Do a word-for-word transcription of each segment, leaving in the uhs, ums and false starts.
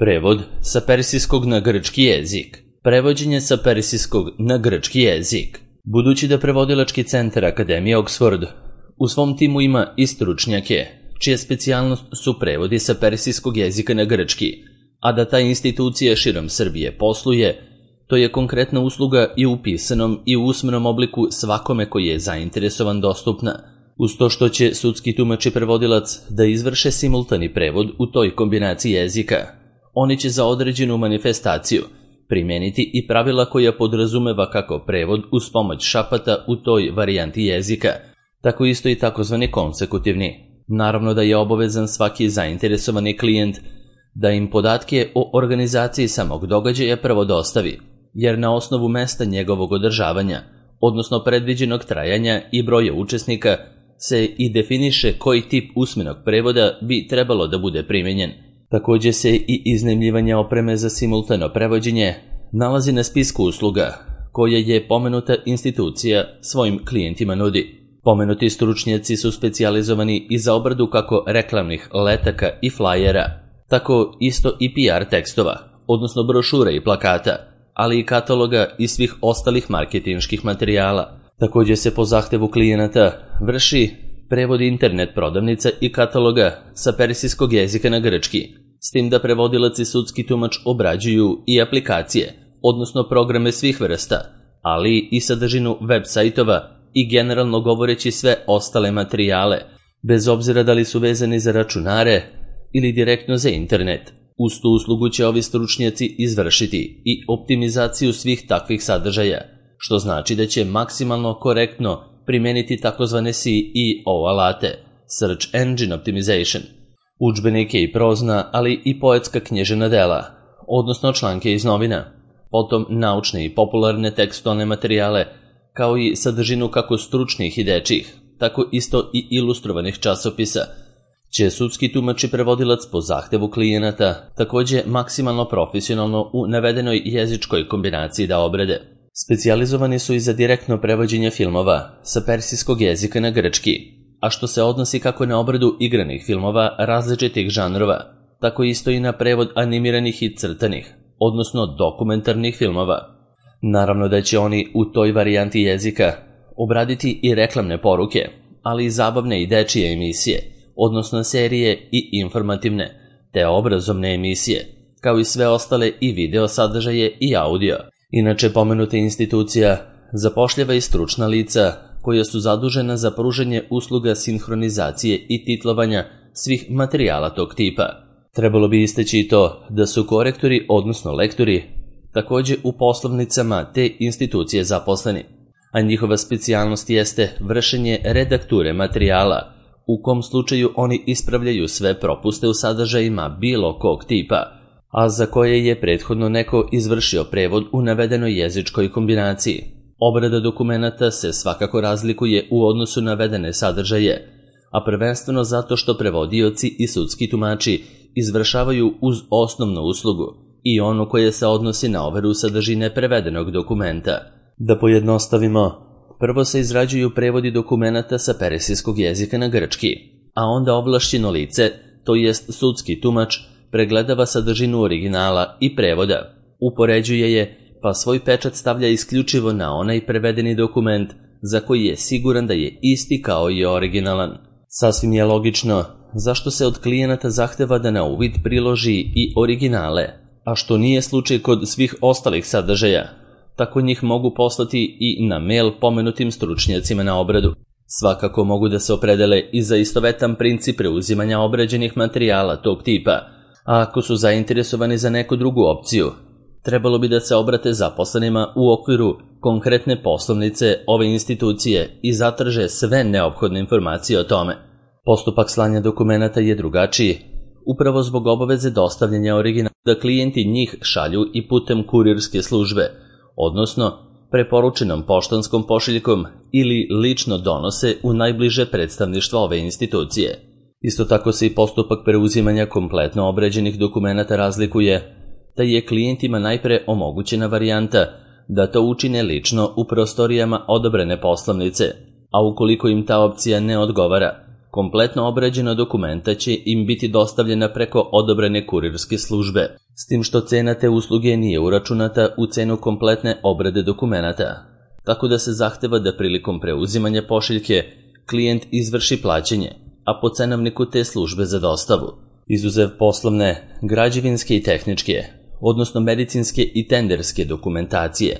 Prevod sa persijskog na grčki jezik. Prevođenje sa persijskog na grčki jezik. Budući da prevodilački centar Akademije Oxford u svom timu ima i stručnjake, čija specijalnost su prevodi sa persijskog jezika na grčki, a da ta institucija širom Srbije posluje, to je konkretna usluga i u pisanom i u usmenom obliku svakome koji je zainteresovan dostupna, uz to što će sudski tumač i prevodilac da izvrše simultani prevod u toj kombinaciji jezika. Oni će za određenu manifestaciju primeniti i pravila koja podrazumeva kako prevod uz pomoć šapata u toj varijanti jezika, tako isto i takozvani konsekutivni. Naravno da je obavezan svaki zainteresovani klijent da im podatke o organizaciji samog događaja prvo dostavi, jer na osnovu mesta njegovog održavanja, odnosno predviđenog trajanja i broja učesnika, se i definiše koji tip usmenog prevoda bi trebalo da bude primenjen. Također se i iznajmljivanje opreme za simultano prevođenje nalazi na spisku usluga koje je pomenuta institucija svojim klijentima nudi. Pomenuti stručnjaci su specijalizovani i za obradu kako reklamnih letaka i flajera, tako isto i P R tekstova, odnosno brošura i plakata, ali i kataloga i svih ostalih marketinških materijala. Također se po zahtevu klijenata vrši prevod internet prodavnica i kataloga sa persijskog jezika na grčki, s tim da prevodilac i sudski tumač obrađuju i aplikacije, odnosno programe svih vrsta, ali i sadržinu web sajtova i generalno govoreći sve ostale materijale, bez obzira da li su vezani za računare ili direktno za internet. Uz tu uslugu će ovi stručnjaci izvršiti i optimizaciju svih takvih sadržaja, što znači da će maksimalno korektno primeniti takozvane S E O alate, Search Engine Optimization, udžbenike i prozna, ali i poetska književna dela, odnosno članke iz novina, potom naučne i popularne tekstualne materijale, kao i sadržinu kako stručnih i dečjih, tako isto i ilustrovanih časopisa, će sudski tumač i prevodilac po zahtevu klijenata također maksimalno profesionalno u navedenoj jezičkoj kombinaciji da obrade. Specijalizovani su i za direktno prevođenje filmova sa persijskog jezika na grčki, a što se odnosi kako na obradu igranih filmova različitih žanrova, tako isto i na prevod animiranih i crtanih, odnosno dokumentarnih filmova. Naravno da će oni u toj varijanti jezika obraditi i reklamne poruke, ali i zabavne i dečije emisije, odnosno serije i informativne, te obrazovne emisije, kao i sve ostale i video sadržaje i audio. Inače, pomenuta institucija zapošljava i stručna lica koja su zadužena za pružanje usluga sinhronizacije i titlovanja svih materijala tog tipa. Trebalo bi istaći i to da su korektori, odnosno lektori, također u poslovnicama te institucije zaposleni, a njihova specijalnost jeste vršenje redakture materijala, u kom slučaju oni ispravljaju sve propuste u sadržajima bilo kog tipa, a za koje je prethodno neko izvršio prevod u navedenoj jezičkoj kombinaciji. Obrada dokumenata se svakako razlikuje u odnosu na navedene sadržaje, a prvenstveno zato što prevodioci i sudski tumači izvršavaju uz osnovnu uslugu i ono koje se odnosi na overu sadržine prevedenog dokumenta. Da pojednostavimo, prvo se izrađuju prevodi dokumenata sa persijskog jezika na grčki, a onda ovlašćeno lice, to jest sudski tumač, pregledava sadržinu originala i prevoda, upoređuje je, pa svoj pečat stavlja isključivo na onaj prevedeni dokument za koji je siguran da je isti kao i originalan. Sasvim je logično zašto se od klijenata zahteva da na uvid priloži i originale, a što nije slučaj kod svih ostalih sadržaja. Tako njih mogu poslati i na mail pomenutim stručnjacima na obradu. Svakako mogu da se opredele i za istovetan princip preuzimanja obrađenih materijala tog tipa, a ako su zainteresovani za neku drugu opciju, trebalo bi da se obrate zaposlenima u okviru konkretne poslovnice ove institucije i zatraže sve neophodne informacije o tome. Postupak slanja dokumenata je drugačiji, upravo zbog obaveze dostavljanja originala, da klijenti njih šalju i putem kurirske službe, odnosno preporučenom poštanskom pošiljkom ili lično donose u najbliže predstavništvo ove institucije. Isto tako se i postupak preuzimanja kompletno obrađenih dokumenata razlikuje, da je klijentima najpre omogućena varijanta da to učine lično u prostorijama odobrene poslovnice, a ukoliko im ta opcija ne odgovara, kompletno obrađena dokumenta će im biti dostavljena preko odobrene kurirske službe. s tim što cena te usluge nije uračunata u cenu kompletne obrade dokumenata, tako da se zahteva da prilikom preuzimanja pošiljke klijent izvrši plaćanje, a po cenovniku te službe za dostavu, izuzev poslovne, građevinske i tehničke, odnosno medicinske i tenderske dokumentacije.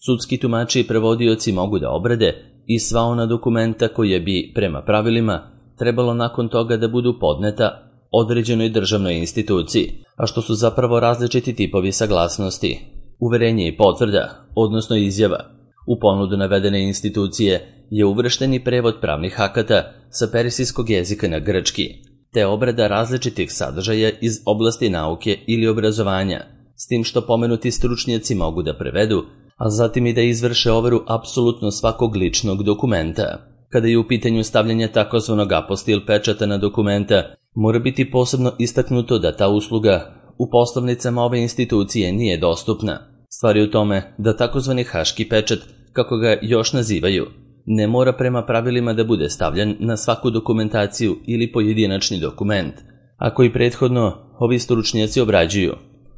Sudski tumači i prevodioci mogu da obrade i sva ona dokumenta koje bi, prema pravilima, trebalo nakon toga da budu podneta određenoj državnoj instituciji, a što su zapravo različiti tipovi saglasnosti, uverenje i potvrda, odnosno izjava. U ponudu navedene institucije je uvršteni prevod pravnih akata sa persijskog jezika na grčki, te obrada različitih sadržaja iz oblasti nauke ili obrazovanja, s tim što pomenuti stručnjaci mogu da prevedu, a zatim i da izvrše overu apsolutno svakog ličnog dokumenta. Kada je u pitanju stavljanja takozvanog apostil pečata na dokumenta, mora biti posebno istaknuto da ta usluga u poslovnicama ove institucije nije dostupna. Stvar je u tome da takozvani haški pečat, kako ga još nazivaju, ne mora prema pravilima da bude stavljan na svaku dokumentaciju ili pojedinačni dokument, a koji prethodno ovi stručnjaci obrađuju,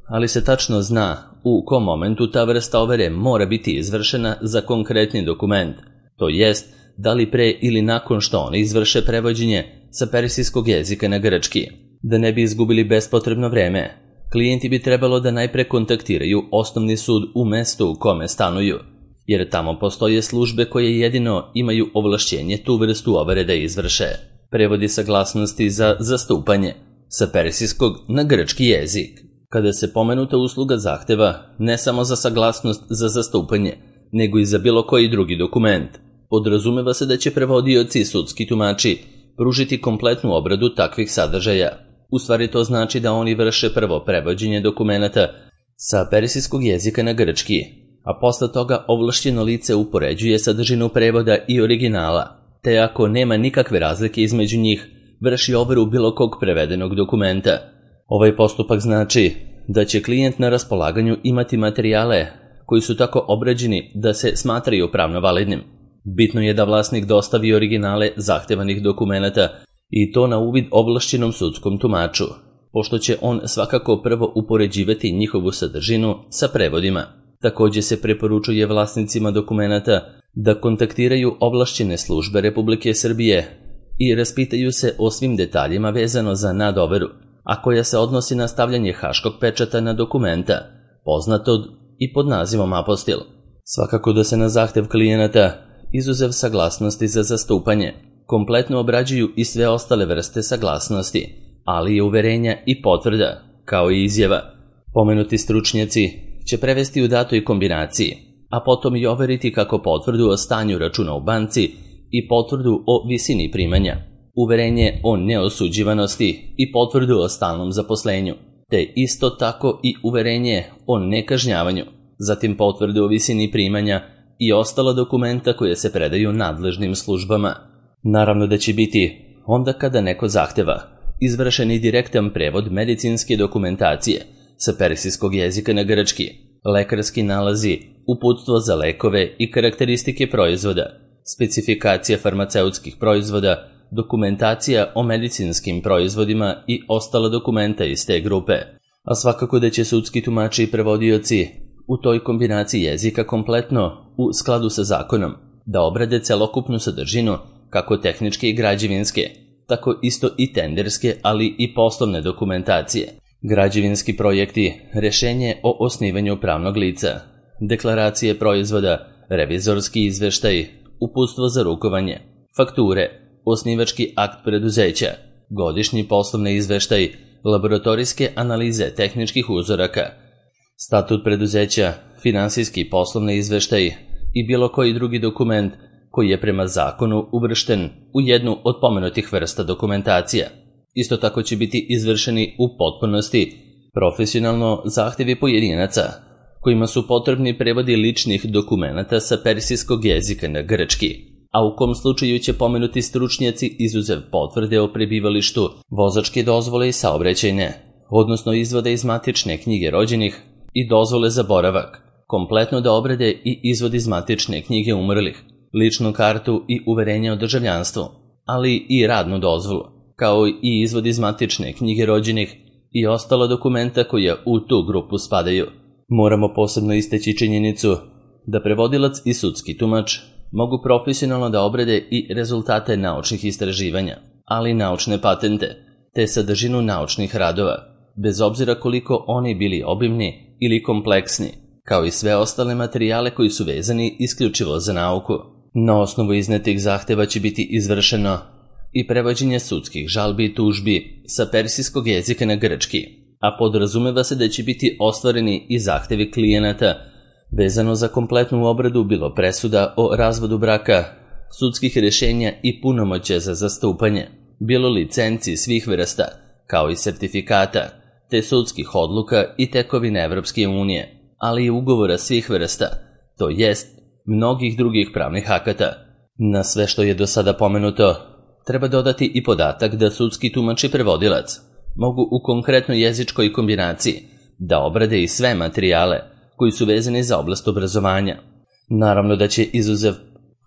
ali se tačno zna u kom momentu ta vrsta overe mora biti izvršena za konkretni dokument, to jest da li pre ili nakon što oni izvrše prevođenje sa persijskog jezika na grčki. Da ne bi izgubili bespotrebno vreme, klijenti bi trebalo da najpre kontaktiraju osnovni sud u mestu u kome stanuju, jer tamo postoje službe koje jedino imaju ovlašćenje tu vrstu overe da izvrše. Prevodi saglasnosti za zastupanje sa persijskog na grčki jezik. Kada se pomenuta usluga zahteva ne samo za saglasnost za zastupanje, nego i za bilo koji drugi dokument, podrazumeva se da će prevodioci i sudski tumači pružiti kompletnu obradu takvih sadržaja. U stvari to znači da oni vrše prvo prevođenje dokumenata sa persijskog jezika na grčki, a posle toga ovlašćeno lice upoređuje sadržinu prevoda i originala, te ako nema nikakve razlike između njih, vrši overu bilo kog prevedenog dokumenta. Ovaj postupak znači da će klijent na raspolaganju imati materijale koji su tako obrađeni da se smatraju pravno validnim. Bitno je da vlasnik dostavi originale zahtevanih dokumenata i to na uvid ovlašćenom sudskom tumaču, pošto će on svakako prvo upoređivati njihovu sadržinu sa prevodima. Također se preporučuje vlasnicima dokumenata da kontaktiraju ovlašćene službe Republike Srbije i raspitaju se o svim detaljima vezano za nadoveru, a koja se odnosi na stavljanje haškog pečata na dokumenta, poznatog i pod nazivom apostil. Svakako da se na zahtev klijenata, izuzev saglasnosti za zastupanje, kompletno obrađuju i sve ostale vrste saglasnosti, ali i uverenja i potvrda, kao i izjava. Pomenuti stručnjaci će prevesti u datoj kombinaciji, a potom i overiti kako potvrdu o stanju računa u banci i potvrdu o visini primanja, uverenje o neosuđivanosti i potvrdu o stalnom zaposlenju, te isto tako i uverenje o nekažnjavanju, zatim potvrdu o visini primanja i ostala dokumenta koje se predaju nadležnim službama. Naravno da će biti, onda kada neko zahteva, izvršen i direktan prevod medicinske dokumentacije sa persijskog jezika na grčki, lekarski nalazi, uputstvo za lekove i karakteristike proizvoda, specifikacija farmaceutskih proizvoda, dokumentacija o medicinskim proizvodima i ostala dokumenta iz te grupe. A svakako da će sudski tumači i prevodioci u toj kombinaciji jezika kompletno, u skladu sa zakonom, da obrade celokupnu sadržinu, kako tehničke i građevinske, tako isto i tenderske, ali i poslovne dokumentacije, građevinski projekti, rešenje o osnivanju pravnog lica, deklaracije proizvoda, revizorski izveštaj, uputstvo za rukovanje, fakture, osnivački akt preduzeća, godišnji poslovni izveštaj, laboratorijske analize tehničkih uzoraka, statut preduzeća, finansijski i poslovni izveštaj i bilo koji drugi dokument koji je prema zakonu uvršten u jednu od pomenutih vrsta dokumentacija. Isto tako će biti izvršeni u potpunosti profesionalno zahtevi pojedinaca, kojima su potrebni prevodi ličnih dokumenata sa persijskog jezika na grčki, a u kom slučaju će pomenuti stručnjaci izuzev potvrde o prebivalištu, vozačke dozvole i saobraćajne, odnosno izvode iz matične knjige rođenih i dozvole za boravak, kompletno da obrade i izvod iz matične knjige umrlih, ličnu kartu i uverenje o državljanstvu, ali i radnu dozvolu, kao i izvod iz matične knjige rođenih i ostala dokumenta koja u tu grupu spadaju. Moramo posebno istaći činjenicu da prevodilac i sudski tumač mogu profesionalno da obrade i rezultate naučnih istraživanja, ali i naučne patente, te sadržinu naučnih radova, bez obzira koliko oni bili obimni ili kompleksni, kao i sve ostale materijale koji su vezani isključivo za nauku. Na osnovu iznetih zahteva će biti izvršeno i prevođenje sudskih žalbi i tužbi sa persijskog jezika na grčki, a podrazumeva se da će biti ostvareni i zahtevi klijenata vezano za kompletnu obradu bilo presuda o razvodu braka, sudskih rješenja i punomoćja za zastupanje, bilo licenci svih vrsta, kao i sertifikata, te sudskih odluka i tekovine Evropske unije, ali i ugovora svih vrsta, to jest mnogih drugih pravnih akata. Na sve što je do sada pomenuto, treba dodati i podatak da sudski tumač i prevodilac mogu u konkretnoj jezičkoj kombinaciji da obrade i sve materijale koji su vezani za oblast obrazovanja. Naravno da će izuzev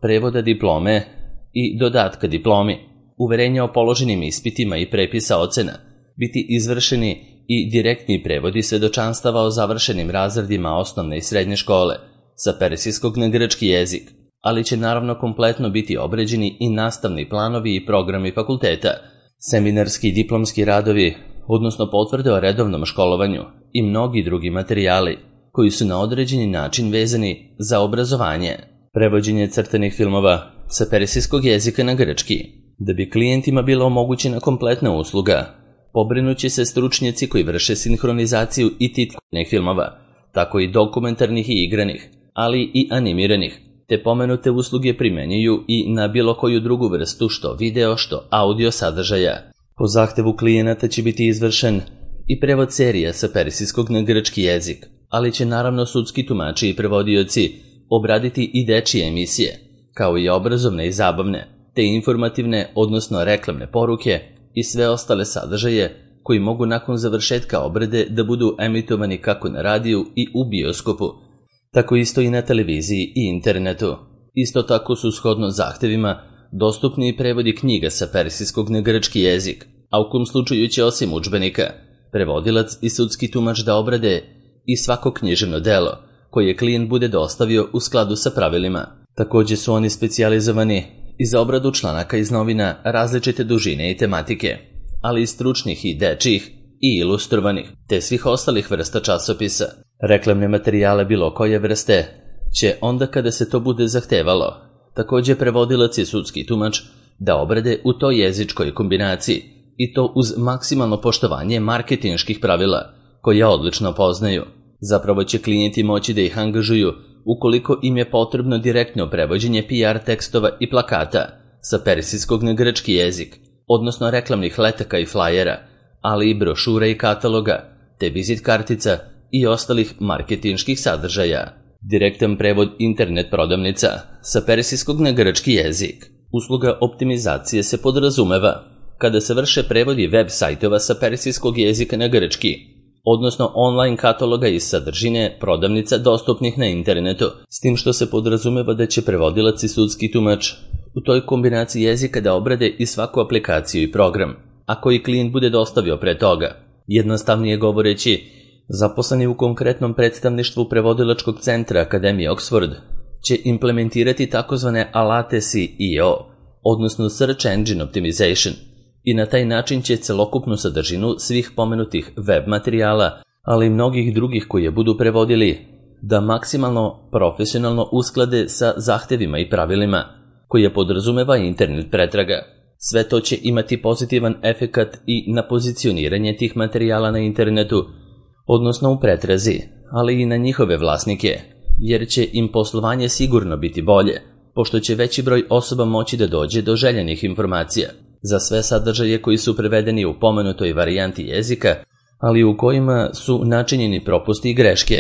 prevoda diplome i dodatka diplomi, uverenja o položenim ispitima i prepisa ocena, biti izvršeni i direktni prevodi svedočanstava o završenim razredima osnovne i srednje škole sa persijskog na grčki jezik, ali će naravno kompletno biti obrađeni i nastavni planovi i programi fakulteta, seminarski i diplomski radovi, odnosno potvrde o redovnom školovanju i mnogi drugi materijali koji su na određeni način vezani za obrazovanje. Prevođenje crtanih filmova sa persijskog jezika na grčki. Da bi klijentima bila omogućena kompletna usluga, pobrinuće se stručnjaci koji vrše sinhronizaciju i titulnih filmova, tako i dokumentarnih i igranih, ali i animiranih, te pomenute usluge primenjuju i na bilo koju drugu vrstu što video, što audio sadržaja. Po zahtevu klijenata će biti izvršen i prevod serija sa persijskog na grčki jezik, ali će naravno sudski tumači i prevodioci obraditi i dečije emisije, kao i obrazovne i zabavne, te informativne, odnosno reklamne poruke i sve ostale sadržaje koji mogu nakon završetka obrade da budu emitovani kako na radiju i u bioskopu, tako isto i na televiziji i internetu. Isto tako su shodno zahtevima dostupni i prevodi knjiga sa persijskog na grčki jezik, a u kom slučaju će osim udžbenika prevodilac i sudski tumač da obrade i svako književno delo koje klijent bude dostavio u skladu sa pravilima. Također su oni specijalizovani i za obradu članaka iz novina različite dužine i tematike, ali i stručnih i dečjih i ilustrovanih, te svih ostalih vrsta časopisa. Reklamne materijale bilo koje vrste će, onda kada se to bude zahtevalo, također prevodilac i sudski tumač da obrade u toj jezičkoj kombinaciji, i to uz maksimalno poštovanje marketinških pravila, koja odlično poznaju. Zapravo će klijenti moći da ih angažuju ukoliko im je potrebno direktno prevođenje P R tekstova i plakata sa persijskog na grčki jezik, odnosno reklamnih letaka i flajera, ali i brošura i kataloga, te vizit kartica i ostalih marketinških sadržaja. Direktan prevod internet prodavnica sa persijskog na grčki jezik. Usluga optimizacije se podrazumeva kada se vrše prevodi web sajtova sa persijskog jezika na grčki, odnosno online kataloga i sadržine prodavnica dostupnih na internetu, s tim što se podrazumeva da će prevodilac i sudski tumač u toj kombinaciji jezika da obrade i svaku aplikaciju i program, a koji klijent bude dostavio pre toga. Jednostavnije govoreći, zaposleni u konkretnom predstavništvu prevodilačkog centra Akademije Oxford će implementirati takozvane alate S E O, odnosno Search Engine Optimization, i na taj način će celokupnu sadržinu svih pomenutih web materijala, ali i mnogih drugih koje budu prevodili, da maksimalno profesionalno usklade sa zahtevima i pravilima koje podrazumeva internet pretraga. Sve to će imati pozitivan efekat i na pozicioniranje tih materijala na internetu, odnosno u pretrazi, ali i na njihove vlasnike, jer će im poslovanje sigurno biti bolje, pošto će veći broj osoba moći da dođe do željenih informacija. Za sve sadržaje koji su prevedeni u pomenutoj varijanti jezika, ali u kojima su načinjeni propusti i greške,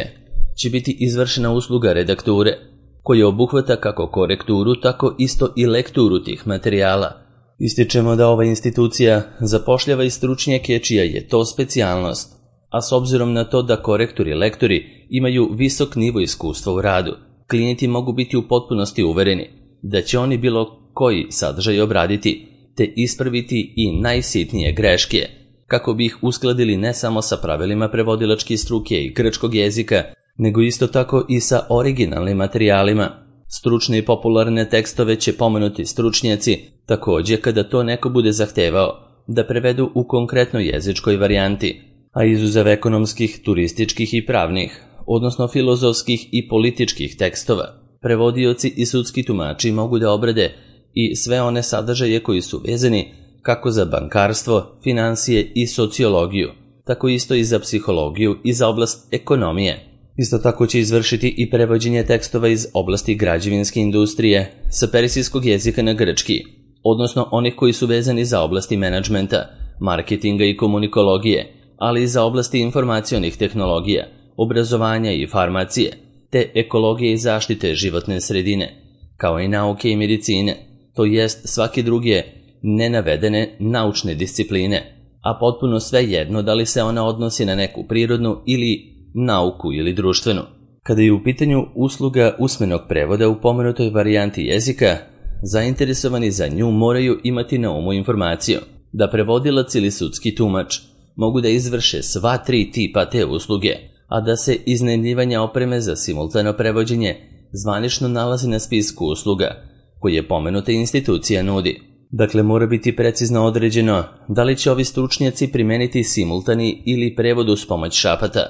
će biti izvršena usluga redakture, koja obuhvata kako korekturu, tako isto i lekturu tih materijala. Ističemo da ova institucija zapošljava i stručnjake čija je to specijalnost, a s obzirom na to da korektori i lektori imaju visok nivo iskustva u radu, klijenti mogu biti u potpunosti uvereni da će oni bilo koji sadržaj obraditi te ispraviti i najsitnije greške kako bi ih uskladili ne samo sa pravilima prevodilačke struke i grčkog jezika, nego isto tako i sa originalnim materijalima. Stručne i popularne tekstove će pomenuti stručnjaci, također kada to neko bude zahtevao, da prevedu u konkretnoj jezičkoj varijanti, a izuzev ekonomskih, turističkih i pravnih, odnosno filozofskih i političkih tekstova, prevodioci i sudski tumači mogu da obrade i sve one sadržaje koji su vezani kako za bankarstvo, finansije i sociologiju, tako isto i za psihologiju i za oblast ekonomije. Isto tako će izvršiti i prevođenje tekstova iz oblasti građevinske industrije sa persijskog jezika na grčki, odnosno onih koji su vezani za oblasti menadžmenta, marketinga i komunikologije, ali i za oblasti informacionih tehnologija, obrazovanja i farmacije, te ekologije i zaštite životne sredine, kao i nauke i medicine, to jest svake druge nenavedene naučne discipline, a potpuno sve jedno da li se ona odnosi na neku prirodnu ili nauku ili društvenu. Kada je u pitanju usluga usmenog prevoda u pomenutoj varijanti jezika, zainteresovani za nju moraju imati na umu informaciju da prevodilac ili sudski tumač mogu da izvrše sva tri tipa te usluge, a da se iznajmljivanja opreme za simultano prevođenje zvanično nalazi na spisku usluga koje pomenuta institucija nudi. Dakle, mora biti precizno određeno da li će ovi stručnjaci primeniti simultani ili prevod uz pomoć šapata,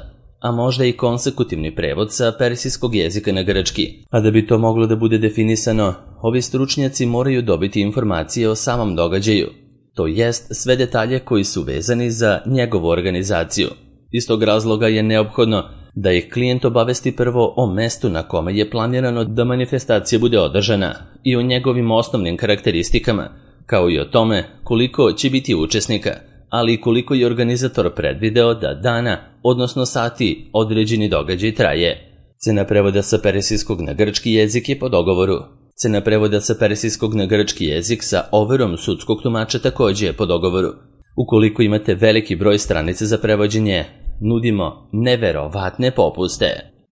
a možda i konsekutivni prevod sa persijskog jezika na grčki. A da bi to moglo da bude definisano, ovi stručnjaci moraju dobiti informacije o samom događaju, to jest sve detalje koji su vezani za njegovu organizaciju. Iz tog razloga je neophodno da ih klijent obavesti prvo o mestu na kome je planirano da manifestacija bude održana i o njegovim osnovnim karakteristikama, kao i o tome koliko će biti učesnika, ali i koliko je organizator predvideo da dana, odnosno sati, određeni događaj traje. Cena prevoda sa persijskog na grčki jezik je po dogovoru. Cena prevoda sa persijskog na grčki jezik sa overom sudskog tumača također je po dogovoru. Ukoliko imate veliki broj stranica za prevođenje, nudimo neverovatne popuste.